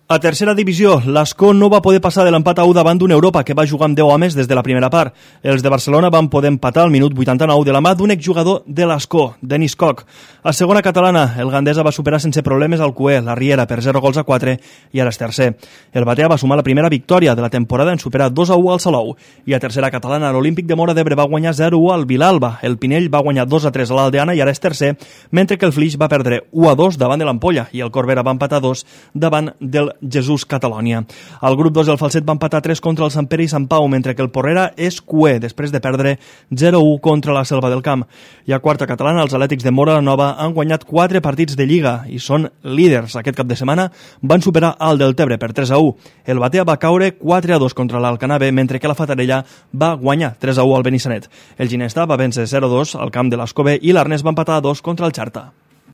A tercera divisió, l'Ascó no va poder passar de l'empat a 1 davant d'un Europa que va jugar amb 10 homes des de la primera part. Els de Barcelona van poder empatar al minut 89 de la mà d'un exjugador de l'Ascó, Denis Koch. A segona catalana, el Gandesa va superar sense problemes al Cué, la Riera, per 0-4 i ara és tercer. El Batea va sumar la primera victòria de la temporada en superar 2-1 al Salou. I a tercera catalana, l'Olímpic de Móra d'Ebre va guanyar 0-1 al Vilalba. El Pinell va guanyar 2-3 a l'Aldeana i ara és tercer, mentre que el Flix va perdre 1-2 davant de l'Ampolla i el Corbera va empatar 2 davant del Jesús Catalònia. Al grup 2 el Falset va empatar 3 contra el Sant Pere i Sant Pau, mentre que el Porrera és cué després de perdre 0-1 contra la Selva del Camp. I a quarta catalana, els Atlètics de Móra la Nova han guanyat 4 partits de Lliga i són líders. Aquest cap de setmana van superar el Deltebre per 3-1. El Batea va caure 4-2 contra l'Alcanar B, mentre que la Fatarella va guanyar 3-1 al Benissanet. El Ginestà va vèncer 0-2 al camp de l'Escobé i l'Arnès va empatar 2 contra el Xarta.